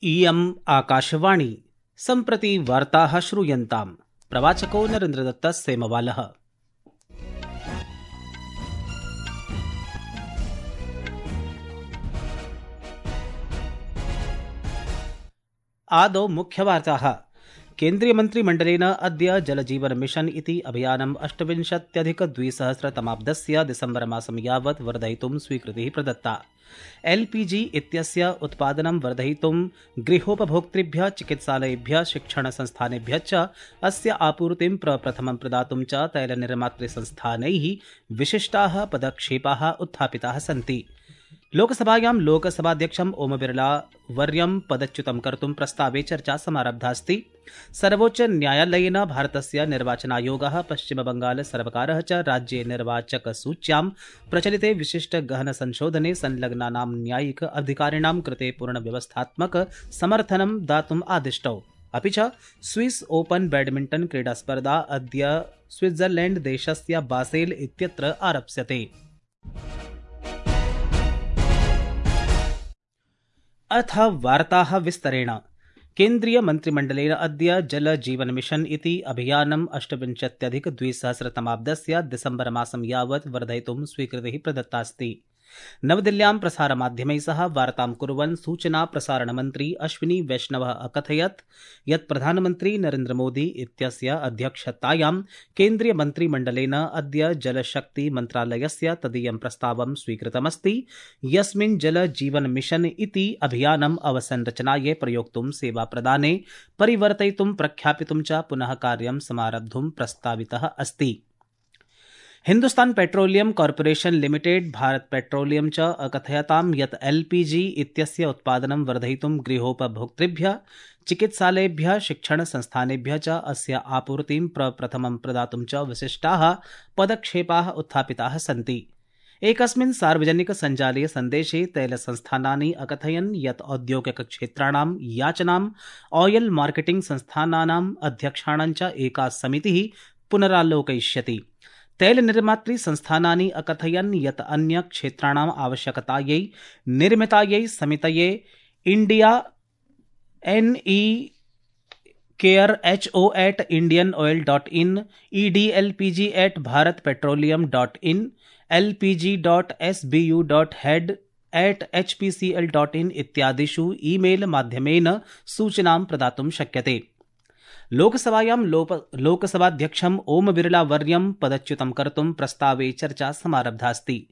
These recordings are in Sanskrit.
इयम् आकाशवाणी सम्प्रति वार्ताः श्रूयन्ताम्। प्रवाचको नरेन्द्रदत्तः सेमवालः। आदौ मुख्यवार्ताः। केन्द्रीयमन्त्रिमण्डलेन अद्य जलजीवन मिशन इति अभियानम् 28-2000तमाब्दस्य डिसेम्बर मासं यावत् वर्धयितुं स्वीकृतिः प्रदत्ता। LPG इत्यस्य उत्पादनं वर्धयितुं गृहोपभोक्तृभ्यः, चिकित्सालयेभ्यः, शिक्षणसंस्थानेभ्यः च अस्य आपूर्तिं प्रप्रथमं प्रदातुं च तैलनिर्मातृसंस्थानैः विशिष्टाः पदक्षेपाः उत्थापिताः सन्ति। लोकसभायां लोकसभाध्यक्षम् ओम बिरला वर्यं पदच्युतं कर्तुं प्रस्तावे चर्चा समारब्धास्ति। सर्वोच्च न्यायालयेन भारतस्य निर्वाचनायोगः, पश्चिमबंगाल सर्वकारः च राज्ये निर्वाचकसूच्यां प्रचलिते विशिष्टगहनसंशोधने संलग्नानां न्यायिक अधिकारिणां कृते पूर्णव्यवस्थात्मक समर्थनं दातुम् आदिष्टौ। अपि च स्विस ओपन बैडमिण्टन क्रीडास्पर्धा अद्य स्विट्जरलैंड देशस्य बासेल इत्यत्र आरप्स्यते। अथ वार्ताः विस्तरेण। केन्द्रीयमन्त्रिमण्डलेन अद्य जल जीवन मिशन इति अभियानम् 28-2000तमाब्दस्य डिसेम्बर मासं यावत् वर्धयितुं स्वीकृतिः प्रदत्तास्ति। नवदिल्ल्यां प्रसारमाध्यमैः सह वार्तां कुर्वन् सूचना प्रसारणमन्त्री अश्विनी वैष्णवः अकथयत् यत् प्रधानमन्त्री नरेन्द्र मोदी इत्यस्य अध्यक्षतायां केन्द्रीयमन्त्रिमण्डलेन अद्य जलशक्ति मन्त्रालयस्य तदीयं प्रस्तावं स्वीकृतमस्ति, यस्मिन् जल जीवन मिशन इति अभियानम् अवसंरचनायै प्रयोक्तुं, सेवाप्रदाने परिवर्तयितुं, प्रख्यापितुं च पुनः कार्यं समारब्धुं प्रस्तावितः अस्ति। Hindustan petroleum corporation limited, Bharata petroleum च अकथयतां यत् LPG इत्यस्य उत्पादनं वर्धयितुं गृहोपभोक्तृभ्यः, चिकित्सालयेभ्यः, शिक्षणसंस्थानेभ्यः च अस्य आपूर्तिं प्रप्रथमं प्रदातुं च विशिष्टाः पदक्षेपाः उत्थापिताः सन्ति। एकस्मिन् सार्वजनिक सञ्जालीय सन्देशे तैलसंस्थानानि अकथयन् यत् औद्योगिकक्षेत्राणां याचनाम् ऑयल मार्केटिंग संस्थानानाम् अध्यक्षाणां च एका समितिः पुनरालोकयिष्यति। तैलनिर्मातृसंस्थानानि अकथयन् यत् अन्य क्षेत्राणाम् आवश्यकतायै निर्मितायै समितये India NE care HO@indianoil.in, EDLPG@bharatpetroleum.in, LPG.SBU.head@HPCL.in इत्यादिषु ईमेल माध्यमेन सूचनां प्रदातुं शक्यते। लोकसभायां लोकसभाध्यक्षम् ओम बिरला वर्यं पदच्युतं कर्तुं प्रस्तावे चर्चा समारब्धास्ति।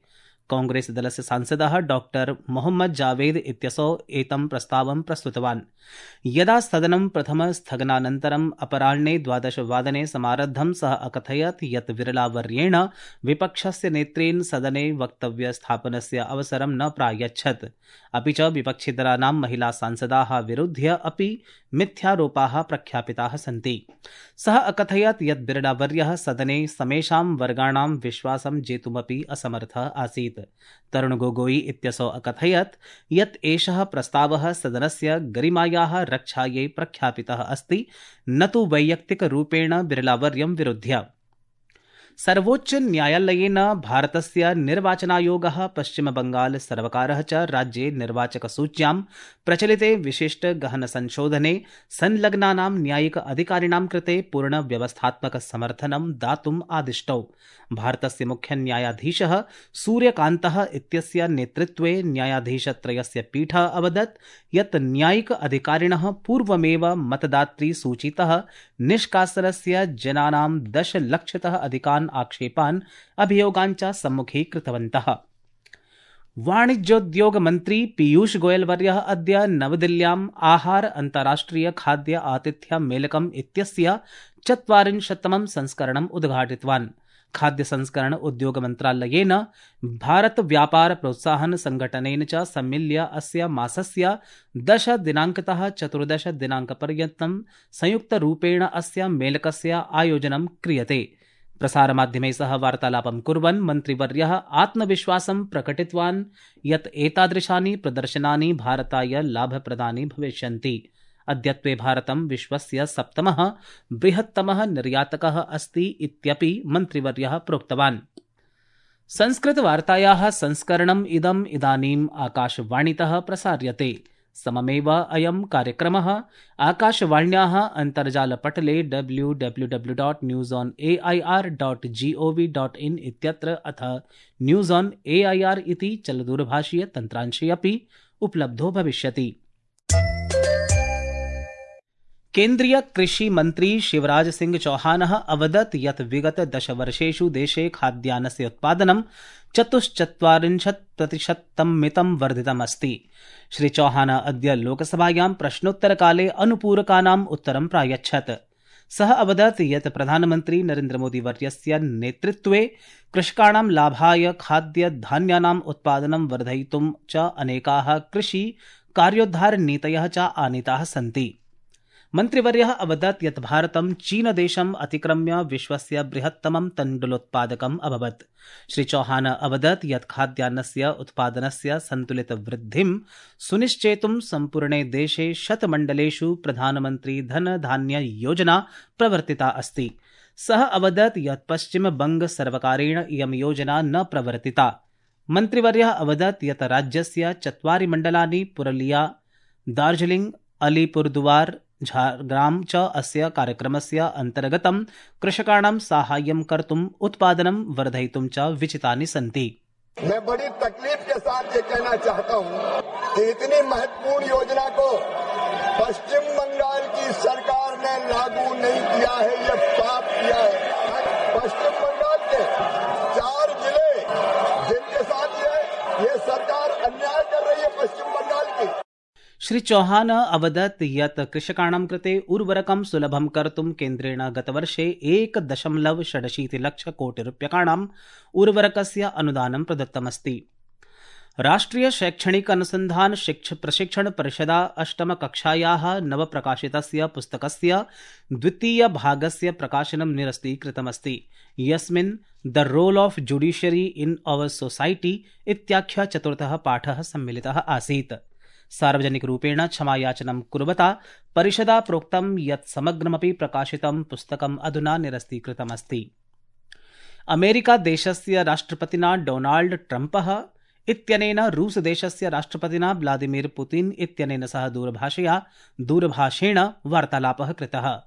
कांग्रेस दलस्य सांसदः डॉक्टर मोहम्मद जावेद इत्यसौ एतं प्रस्तावं प्रस्तुतवान्। यदा सदनं प्रथमस्थगनानन्तरम् अपराह्ने 12 समारब्धं, सः अकथयत् यत् बिरलावर्येण विपक्षस्य नेत्रेण सदने वक्तव्यस्थापनस्य अवसरं न प्रायच्छत्। अपि च विपक्षिदलानां महिला सांसदाः विरुध्य अपि मिथ्यारोपाः प्रख्यापिताः सन्ति। सः अकथयत् यत् बिरलावर्यः सदने समेषां वर्गाणां विश्वासं जेतुमपि असमर्थः आसीत्। तरुण गोगोई इत्यसौ अकथयत् यत् एषः प्रस्तावः सदनस्य गरिमायाः रक्षायै प्रख्यापितः अस्ति, न तु वैयक्तिकरूपेण बिरलावर्यं विरुध्य। सर्वोच्च न्यायालयेन भारतस्य निर्वाचनायोगः, पश्चिमबंगाल सर्वकारः च राज्ये निर्वाचकसूच्यां प्रचलिते विशिष्टगहनसंशोधने संलग्नानां न्यायिक अधिकारिणां कृते पूर्णव्यवस्थात्मक समर्थनं दातुम् आदिष्टौ। भारतस्य मुख्यन्यायाधीशः सूर्यकान्तः इत्यस्य नेतृत्वे न्यायाधीशत्रयस्य पीठः अवदत् यत् न्यायिक अधिकारिणः पूर्वमेव मतदातृसूचीतः निष्कासनस्य जनानां 10 लक्षतः अधिकान् आक्षेपान्, अभियोगान् च सम्मुखीकृतवन्तः। वाणिज्योद्योग मन्त्री पीयूष गोयल वर्यः अद्य नवदिल्ल्याम् आहार अन्ताराष्ट्रिय खाद्य आतिथ्य मेलकम् इत्यस्य 40तमं संस्करणम् उद्घाटितवान्। खाद्य संस्करण उद्योग मन्त्रालयेन, भारत व्यापार प्रोत्साहन संघटनेन च सम्मिल्य अस्य मासस्य 10 दिनाङ्कतः 14 दिनाङ्कपर्यन्तं संयुक्तरूपेण अस्य मेलकस्य आयोजनं क्रियते। प्रसारमाध्यमैः सह वार्तालापं कुर्वन् मन्त्रिवर्यः आत्मविश्वासं प्रकटितवान् यत् एतादृशानि प्रदर्शनानि भारताय लाभप्रदानि भविष्यन्ति। अद्यत्वे भारतं विश्वस्य 7मः बृहत्तमः निर्यातकः अस्ति इत्यपि मन्त्रिवर्यः प्रोक्तवान्। संस्कृतवार्तायाः संस्करणम् इदम् इदानीम् आकाशवाणीतः प्रसार्यते। सममेव अयं कार्यक्रमः आकाशवाण्याः अन्तर्जालपटले www.newsonair.gov.in इत्यत्र अथ न्यूज़ ऑन एआईआर इति चलदूरभाषीय तन्त्रांशे अपि उपलब्धो भविष्यति। केन्द्रीय कृषि मंत्री शिवराज सिंह चौहानः अवदत् यत् विगत 10 वर्षेषु देशे खाद्यान्नस्य उत्पादनं 44% वर्धितमस्ति। श्री चौहान अद्य लोकसभायां प्रश्नोत्तरकाले अनुपूरकानाम् उत्तरं प्रायच्छत्। सः अवदत् यत् प्रधानमन्त्री नरेन्द्रमोदी वर्यस्य नेतृत्वे कृषकाणां लाभाय खाद्यधान्यानाम् उत्पादनं वर्धयितुं च अनेकाः कृषि कार्योद्धारनीतयः च आनीताः सन्ति। मन्त्रिवर्यः अवदत् यत् भारतं चीनदेशम् अतिक्रम्य विश्वस्य बृहत्तमं तण्डुलोत्पादकम् अभवत्। श्री चौहान अवदत् यत् खाद्यान्नस्य उत्पादनस्य सन्तुलितवृद्धिं सुनिश्चेतुं सम्पूर्णे देशे 100 मण्डलेषु प्रधानमन्त्री धनधान्य योजना प्रवर्तिता अस्ति। सः अवदत् यत् पश्चिमबंग सर्वकारेण इयं योजना न प्रवर्तिता। मन्त्रिवर्यः अवदत् यत् राज्यस्य 4 मण्डलानि पुरलिया, दार्जिलिंग, अलीपुरदुआर, झारग्राम च अस्य कार्यक्रमस्य अन्तर्गतं कृषकाणां साहाय्यं कर्तुम् उत्पादनं वर्धयितुं च विचितानि सन्ति। मैं बड़ी तकलीफ के साथ ये कहना चाहता हूँ कि इतनी महत्वपूर्ण योजना को पश्चिम बंगाल की सरकार ने लागू नहीं किया है, ये पाप किया है। पश्चिम बंगाल के 4 जिले जिनके साथ ये सरकार अन्याय कर रही है पश्चिम बंगाल की। श्री चौहान अवदत् यत् कृषकाणां कृते उर्वरकं सुलभं कर्तुं केन्द्रेण गतवर्षे 1.67 लक्षकोटिरूप्यकाणाम् उर्वरकस्य अनुदानं प्रदत्तमस्ति। राष्ट्रिय शैक्षणिक अनुसन्धान प्रशिक्षण परिषदा 8म कक्षायाः नवप्रकाशितस्य पुस्तकस्य द्वितीय भागस्य प्रकाशनं निरस्तीकृतमस्ति, यस्मिन् the role of judiciary in our society इत्याख्यः 4थः पाठः सम्मिलितः आसीत्। सार्वजनिकरूपेण क्षमायाचनं कुर्वता परिषदा प्रोक्तं यत् समग्रमपि प्रकाशितं पुस्तकम् अधुना निरस्तीकृतमस्ति। अमेरिका देशस्य राष्ट्रपतिना डोनाल्ड ट्रम्पः इत्यनेन रूस देशस्य राष्ट्रपतिना व्लादिमीर पुतिन इत्यनेन सह दूरभाषेण वार्तालापः कृतः।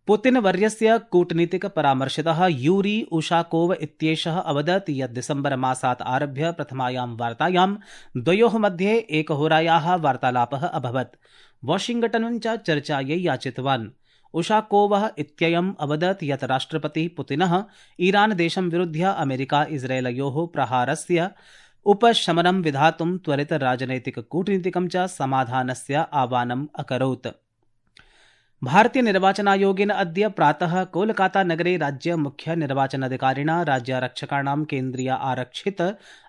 पुतिन वर्यस्य कूटनीतिक परामर्शितः यूरी उशाकोव इत्येषः अवदत् यत् दिसम्बर मासात् आरभ्य प्रथमायां वार्तायां द्वयोः मध्ये 1 होरायाः वार्तालापः अभवत्। वाशिंगटनं च चर्चायै याचितवान्। उशाकोवः इत्ययम् अवदत् यत् राष्ट्रपतिः पुतिनः ईरान देशं विरुध्य अमेरिका इस्राएलयोः प्रहारस्य उपशमनं विधातुं त्वरित राजनैतिक कूटनीतिकं च समाधानस्य आह्वानम् अकरोत्। भारतीय निर्वाचनायोगेन अद्य प्रातः कोलकाता नगरे राज्य मुख्य निर्वाचनाधिकारिणा राज्यारक्षकाणां केन्द्रीय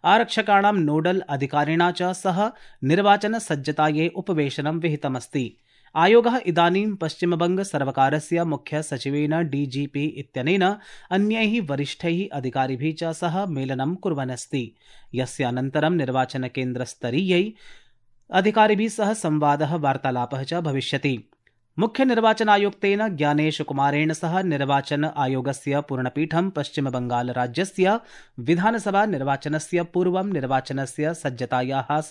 आरक्षकाणां नोडल अधिकारिणा च सह निर्वाचन सज्जतायै उपवेशनं विहितमस्ति। आयोगः इदानीं पश्चिमबंग सर्वकारस्य मुख्य सचिवेन डीजीपी इत्यनेन अन्यैः वरिष्ठैः अधिकारिभिः च सह मेलनं कुर्वन् अस्ति, यस्य अनन्तरं निर्वाचनकेन्द्रस्तरीयै अधिकारिभिः सह संवादः वार्तालापः च भविष्यति। मुख्य निर्वाचनायुक्तेन ज्ञानेश कुमारेण सह निर्वाचन आयोगस्य पूर्णपीठं पश्चिमबंगाल राज्यस्य विधानसभा निर्वाचनस्य पूर्वं निर्वाचनस्य सज्जतायाः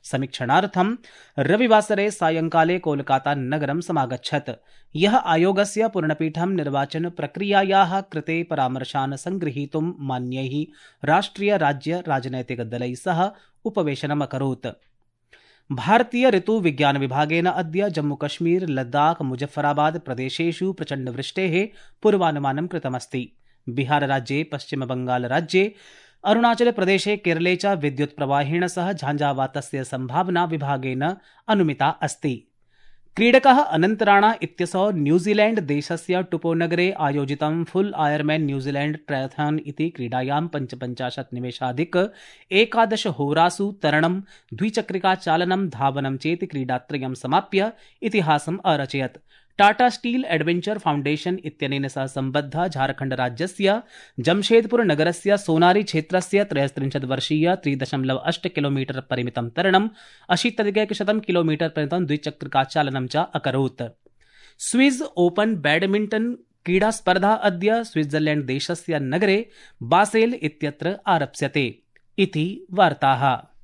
समीक्षणार्थं रविवासरे सायंकाले कोलकाता नगरं समागच्छत्। यः आयोगस्य पूर्णपीठं निर्वाचन प्रक्रियायाः कृते परामर्शान् संगृहीतुं मान्यैः राष्ट्रिय राज्य राजनैतिकदलैः सह उपवेशनम् अकरोत्। भारतीय ऋतु विज्ञान विभागेन अद्य जम्मूकश्मीर, लद्दाख, मुजफ्फराबाद प्रदेशेषु प्रचण्डवृष्टेः पूर्वानुमानं कृतमस्ति। बिहारराज्ये, पश्चिमबंगालराज्ये, अरुणाचलप्रदेशे, केरले च विद्युत्प्रवाहेण सह झाञ्झावातस्य सम्भावना विभागेन अनुमिता अस्ति। क्रीडकः अनन्तराणा इत्यसौ न्यूजीलैण्ड देशस्य टुपोनगरे आयोजितं फुल आयरमैन न्यूजीलैण्ड ट्रायथन इति क्रीडायां 55 निमेषाधिक 11 होरासु तरणं, द्विचक्रिकाचालनं, धावनं चेति क्रीडात्रयं समाप्य इतिहासम् अरचयत्। टाटा स्टील एडवेंचर फाउंडेशन इत्यनेन सह सम्बद्ध झारखण्ड राज्यस्य जमशेदपुर नगरस्य सोनारी क्षेत्रस्य 33 वर्षीय 3.8 किलोमीटर परिमितं तरणं, 80-100 किलोमीटर परिमितं द्विचक्रिकाचालनं च अकरोत्। स्विस ओपन बैडमिंटन क्रीडास्पर्धा अद्य स्विट्जरलैण्ड देशस्य नगरे बासेल इत्यत्र आरप्स्यते। इति वार्ताः।